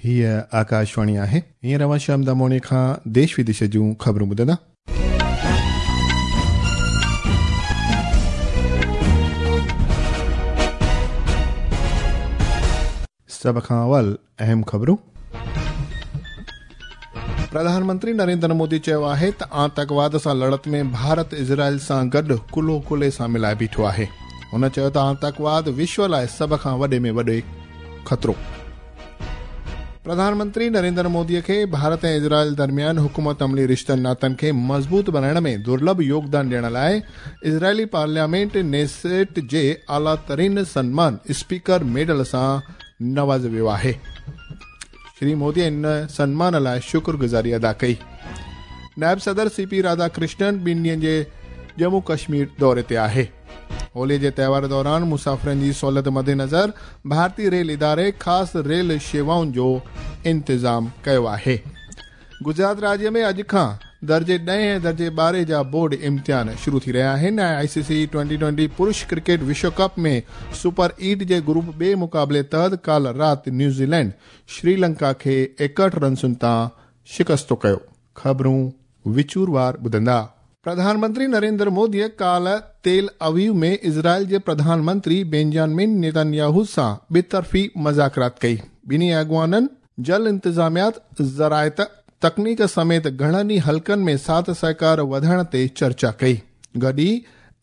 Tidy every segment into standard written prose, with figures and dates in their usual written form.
هيء آڪاشواڻي آهي. هينئر اوهان شيام داموڻي کان ديش وديش جون خبرون ٻڌندا. سڀ کان اول اهم خبرون. پرڌان منتري نريندر مودي چيو آهي ته آتنڪواد سان لڙت ۾ ڀارت اسرائيل سان گڏ ڪلهو ڪلهي سان ملائي بيٺو آهي. هن چيو ته آتنڪواد وشو لاء سڀ کان وڏي ۾ وڏي خطرو. پرڌان منتري نريندر مودي کي ڀارت ۽ اسرائيل درميان حڪمت عملي رشتن ناتن کي مضبوط بڻائڻ ۾ درلڀ يوگدان ڏيڻ لاء اسرائيلي پارليامينٽ نيسيٽ جي اعليٰ ترين سنمان اسپيڪر ميڊل سان نوازيو ويو آهي. شري مودي ان سنمان لاء شڪرگذاري ادا ڪئي. نائب صدر سي پي راڌا ڪرشنن ٻن ڏينهن جي ڄمون ڪشمير دوري تي آهي. هولي جي تهوار دوران مسافرن جي سهولت مدنظر ڀارتي ريل اداري خاص ريل شيوائن جو انتظام ڪيو آهي. گجرات راجيه ۾ اڄ کان درجي 10 ۽ درجي 12 جا بورڊ امتحان شروع ٿي رهيا آهن ۽ آء سي سي 20-20 پرش ڪرڪيٽ وشو ڪپ ۾ سپر 8 جي گروپ ٻئي مقابلي تحت ڪالهه رات نيوزيلينڊ شريلنڪا کي 61 رنسن تان شڪستو ڪيو. خبرون وچوروار ٻڌندا. پرڌان منتري نريندر موديء ڪالهه تيل اويو ۾ اسرائيل جي پرڌان منتري بينجامن نيتنياهو سان ٻطرفي مذاڪرات ڪئي. ٻنهي اڳواڻن جل انتظاميات، زراعت، تڪنيڪ سميت گهڻن ئي حلقن ۾ ساٿ سهڪار وڌائڻ تي چرچا ڪئي. گڏ ئي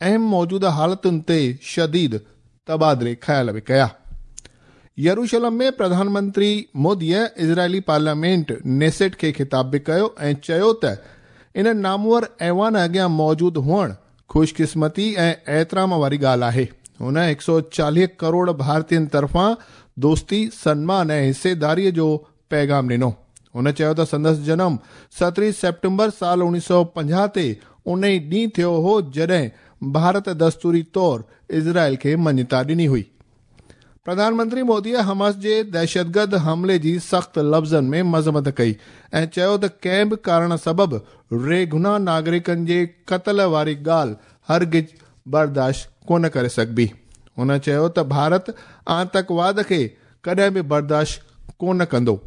اهم موجوده حالتن تي شديد تبادلي خيال به ڪيا. يروشلم ۾ پرڌان منتري موديء اسرائيلي پارليامينٽ نيسيٽ کي خطاب به ڪيو ۽ چيو ته ان نامور ايوان اڳيان موجود هئڻ خوش قسمتي ۽ احترام واري ڳالهه آهي. هن 140 ڪروڙ ڀارتين طرفان دوستي، سنمان ۽ حصيداريء جو پيغام ڏنو. هن چيو ته سندس جنم 17 سيپٽمبر سال 1950 تي ان ئي ڏينهن ٿيو هو جڏهن ڀارت دستوري طور اسرائيل کي مڃتا ڏني هئي. پرڌان منتري موديء حماس جي دهشتگرد حملي جي سخت لفظن ۾ مذمت ڪئي ۽ چيو ته ڪنهن به ڪارڻ سبب ريگناهه ناگرڪن جي قتل واري ڳالهه هرگز برداشت ڪونه ڪري سگهبي. هن چيو ته ڀارت آتنڪواد کي ڪڏهن به برداشت ڪونه ڪندو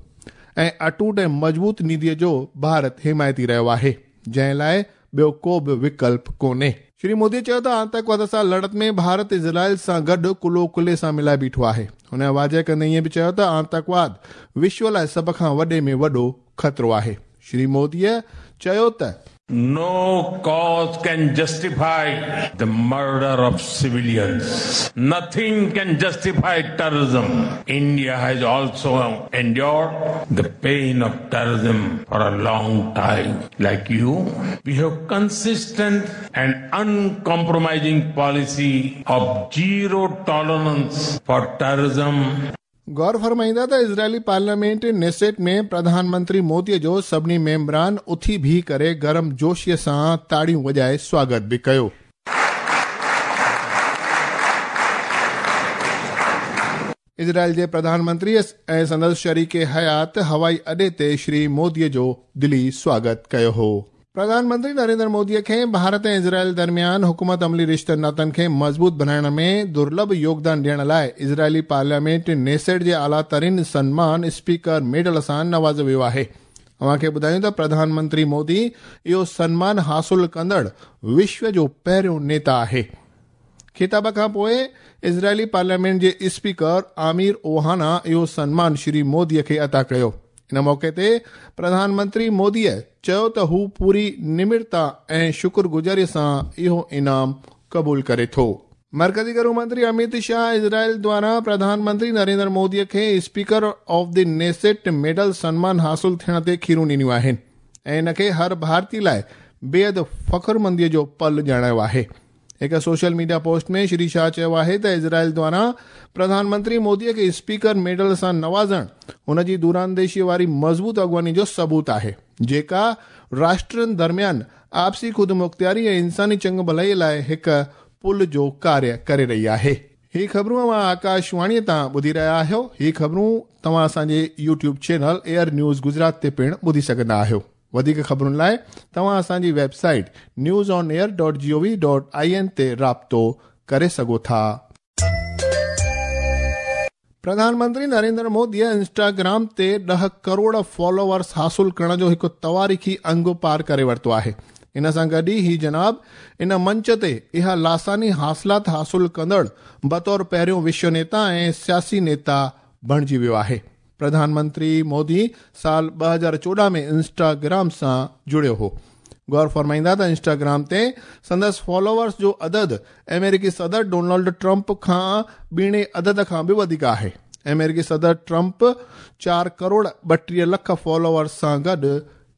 ۽ اٽوٽ ۽ مضبوط نيتيء جو ڀارت حمايتي رهيو آهي، جنهن لاء ٻيو ڪو به وڪلپ ڪونهي. شري مودي چيو ته آتنڪواد سان لڙت ۾ ڀارت اسرائيل سان گڏ ڪلهو ڪلهي سان ملائي بيٺو آهي. هن واضح ڪندي ائين به چيو ته آتنڪواد وشو لاء سڀ کان وڏي ۾ وڏو خطرو آهي. شري موديء چيو ته. No cause can justify the murder of civilians. Nothing can justify terrorism. India has also endured the pain of terrorism for a long time. Like you, we have consistent and uncompromising policy of zero tolerance for terrorism. غور فرمائيندا ته اسرائيلي parliament نيسيٽ ۾ Pradhan Mantri موديء جو سڀني ميمبران اٿي بيهي ڪري گرم جوشيء سان تاڙيون وڄائي سواگت به ڪيو. اسرائيل جي پرڌان منتري ۽ سندس شريڪ حيات هوائي اڏي تي شري موديء جو دلي سواگت ڪيو هو. پرڌان منتري نريندر موديء کي ڀارت ۽ اسرائيل درميان حڪمت عملي رشتن ناتن کي مضبوط بڻائڻ ۾ درلڀ يوگدان ڏيڻ لاء اسرائيلي پارليامينٽ نيسيٽ جي اعليٰ ترين سنمان اسپيڪر ميڊل سان نوازيو ويو آهي. اوهان کي ٻڌايون ته پرڌان منتري مودي اهو سنمان حاصل ڪندڙ وشو جو پهريون نيتا آهي. خطاب کان پوء اسرائيلي پارليامينٽ جي اسپيڪر عامر اوهانا اهو سنمان شري مودي کي عطا ڪيو. ان موقعي تي پرڌان منتري موديء چيو ته هو پوري نمرتا ۽ شڪرگذاريء سان اهو انعام قبول ڪري ٿو. مرڪزي گهرو منتري اميت شاهه اسرائيل دواران پرڌان منتري نريندر مودي کي اسپيڪر آف the نيسيٽ ميڊل سنمان حاصل ٿيڻ تي کيرون ڏنيون آهن ۽ ان کي هر ڀارتي لاء بيحد فخرمنديء جو پل ڄاڻايو آهي. هڪ social media post ۾ Shri Shah چيو آهي ته اسرائيل دواران پرڌان منتري مودي کي اسپيڪر ميڊل سان نوازڻ هن جي دورانديشي واري مضبوط اڳواڻي جو ثبوت آهي، جيڪا راشٽرن درميان آپسي خودمختياري ۽ انساني چڱ ڀلائي لاء هڪ پل جو ڪاريه ڪري رهي آهي. هي خبرون اوهان آڪاشواڻي تان ٻڌي رهيا آهيو. هي خبرون توهان اسان جي YouTube channel air news Gujarat تي پڻ ٻڌي سگهندا آهيو. وڌيڪ خبرن لاء توهان اسان جي website news on air dot G O V dot I N تي رابطو ڪري سگهو ٿا. प्रधानमंत्री नरेंद्र मोदीअ इंस्टाग्राम ते 10 करोड़ फॉलोअर्स हासिल करण जो हिकु तवारीख़ी अंग पार करे वरितो आहे। इन सां गॾु ई ही जनाब इन मंच ते इहा लासानी हासिलात हासिल कंदड़ बतौर पहिरियों विश्व नेता ऐं सियासी नेता बणिजी वियो आहे। प्रधानमंत्री मोदी साल 2014 में इंस्टाग्राम सां जुड़ियो हो। गौर फरमाईंदा त इंस्टाग्राम ते संदसि फॉलोअर्स जो अदद अमेरिकी सदर डोनाल्ड ट्रंप खां ॿीणे अदद खां बि वधीक आहे। अमेरिकी सदर ट्रंप 4 करोड़ 32 लख फॉलोअर्स सां गॾु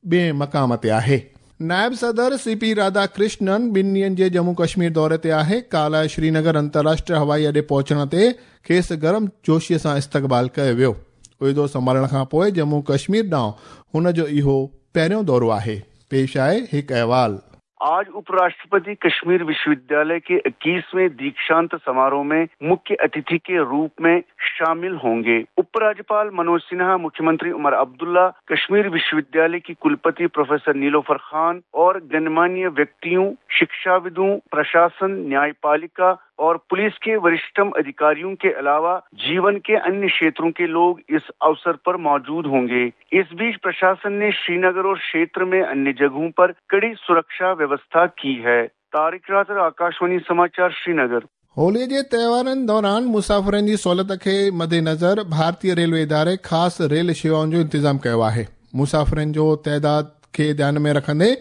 ॿिए मक़ाम ते आहे। नायब सदर सीपी राधाकृष्णन ॿिनि ॾींहंनि जे जम्मू कश्मीर दौरे ते आहे। काल्ह श्रीनगर अंतर्राष्ट्रीय हवाई अॾे पहुचण ते खेसि गरम जोशीअ सां इस्तक़बाल कयो वियो। उहिदो संभालण खां पोइ जम्मू कश्मीर ॾांहुं हुन जो इहो पहिरियों दौरो आहे। पेश आहे हिकु अहवाल। आज उपराष्ट्रपति कश्मीर विश्वविद्यालय के 21वें दीक्षांत समारोह में मुख्य अतिथि के रूप में शामिल होंगे। उपराज्यपाल मनोज सिन्हा, मुख्यमंत्री उमर अब्दुल्ला, कश्मीर विश्वविद्यालय की कुलपति प्रोफेसर नीलोफर खान और गणमान्य व्यक्तियों, शिक्षाविदों, प्रशासन, न्यायपालिका और पुलिस के वरिष्ठतम अधिकारियों के अलावा जीवन के अन्य क्षेत्रों के लोग इस अवसर पर मौजूद होंगे। इस बीच प्रशासन ने श्रीनगर और क्षेत्र में अन्य जगहों पर कड़ी सुरक्षा व्यवस्था की है। तारिक रातर, आकाशवाणी समाचार, श्रीनगर। होलीअ जे त्योहारनि दौरान मुसाफ़िरनि जी सहूलियत खे मद्देनज़र भारतीय रेलवे इदारे ख़ासि रेल शेवाउनि जो इंतज़ामु कयो आहे। मुसाफ़िरनि जो तादाद खे ध्यान में रखंदे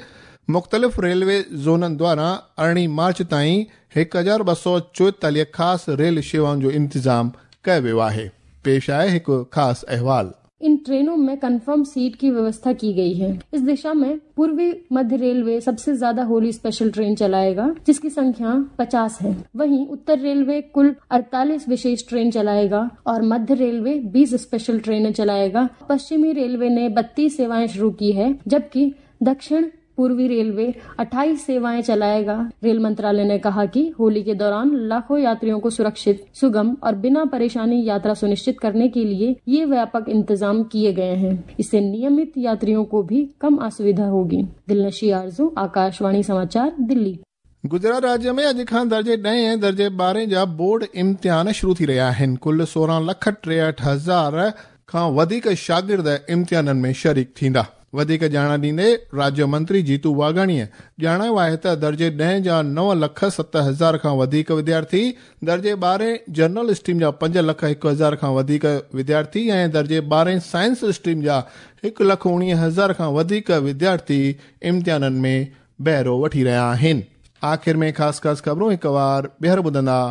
मुख़्तलिफ़ रेलवे ज़ोननि द्वारा 18 मार्च ताईं 1244 ख़ासि रेल शेवाउनि जो इंतज़ामु कयो वियो आहे। पेश आहे हिकु ख़ासि अहवाल। इन ट्रेनों में कंफर्म सीट की व्यवस्था की गई है। इस दिशा में पूर्वी मध्य रेलवे सबसे ज्यादा होली स्पेशल ट्रेन चलाएगा, जिसकी संख्या 50 है। वहीं उत्तर रेलवे कुल 48 विशेष ट्रेन चलाएगा और मध्य रेलवे 20 स्पेशल ट्रेनें चलाएगा। पश्चिमी रेलवे ने 32 सेवाएं शुरू की है, जबकि दक्षिण पूर्वी रेलवे 28 सेवाएं चलाएगा। रेल मंत्रालय ने कहा कि होली के दौरान लाखों यात्रियों को सुरक्षित, सुगम और बिना परेशानी यात्रा सुनिश्चित करने के लिए ये व्यापक इंतजाम किए गए हैं। इससे नियमित यात्रियों को भी कम असुविधा होगी। दिलनशी आरजू, आकाशवाणी समाचार, दिल्ली। गुजरात राज्य में अॼु खां दर्जे 10 ऐं दर्जे 12 जा बोर्ड इम्तिहान शुरू थी रहिया आहिनि। कुल 16,63,000 खां वधीक शागिर्द इम्तिहाननि में शरीक थींदा। वधीक ॼाण ॾींदे राज्य मंत्री जीतू वाघाणीअ ॼाणायो आहे त दर्जे 10 जा 9,07,000 खां वधीक विद्यार्थी, दर्जे 12 जनरल स्ट्रीम जा 5,01,000 खां वधीक विद्यार्थी ऐं दर्जे 12 साइंस स्ट्रीम जा 1,19,000 खां वधीक विद्यार्थी इम्तिहाननि में बहिरो वठी रहिया आहिनि। आख़िर में ख़ासि ख़ासि ख़बरूं हिकु वार ॿीहर ॿुधंदा।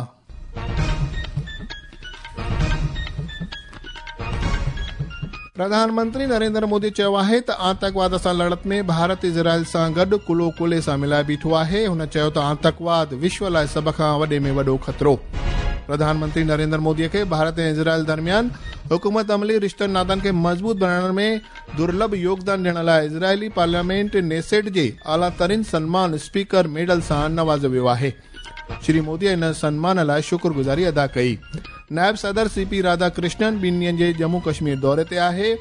प्रधानमंत्री नरेंद्र मोदी चयो आहे त आतंकवाद सां लड़त में भारत इज़राइल सां गॾु कुल्हो कुल्हे सां मिलाए बीठो आहे। हुन चयो त आतंकवाद विश्व लाइ सभ खां वॾे में वॾो ख़तरो। प्रधानमंत्री नरेंद्र मोदीअ खे भारत ऐं इज़राइल दरमियान हुकूमत अमली रिश्तनि नातनि खे मज़बूत बणाइण में दुर्लभ योगदान ॾियण लाइ इज़राइली पार्लियामेंट नेसेट जे आला तरीन सन्मान स्पीकर मेडल सां नवाज़ियो वियो आहे। श्री मोदी इन सन्मान लाइ शुक्रगुज़ारी अदा कई। नायब सदर सीपी राधाकृष्णन ॿिनि ॾींहंनि जे जम्मू कश्मीर दौरे ते आहे।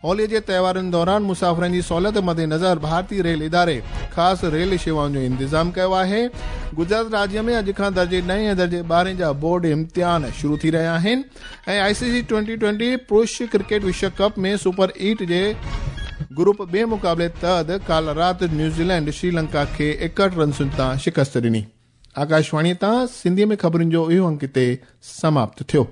होलीअ जे त्योहारनि दौरान मुसाफ़िरनि जी सहूलियत मद्देनज़र भारतीय रेल इदारे ख़ासि रेल शेवाउनि जो इंतज़ामु कयो आहे। गुजरात राज्य में अॼु खां दर्जे 9 ऐं दर्जे 12 जा बोर्ड इम्तिहान शुरू थी रहिया आहिनि ऐं ICC 2020 पुरुष क्रिकेट विश्व कप में सुपर 8 जे ग्रुप ॿिए मुक़ाबले तहत काल्ह राति न्यूज़ीलैंड श्रीलंका खे 61 रनसुनि तां शिकस्त ॾिनी। आकाशवाणी तां सिंधीअ में ख़बरुनि जो इहो अंक हिते समाप्त थियो।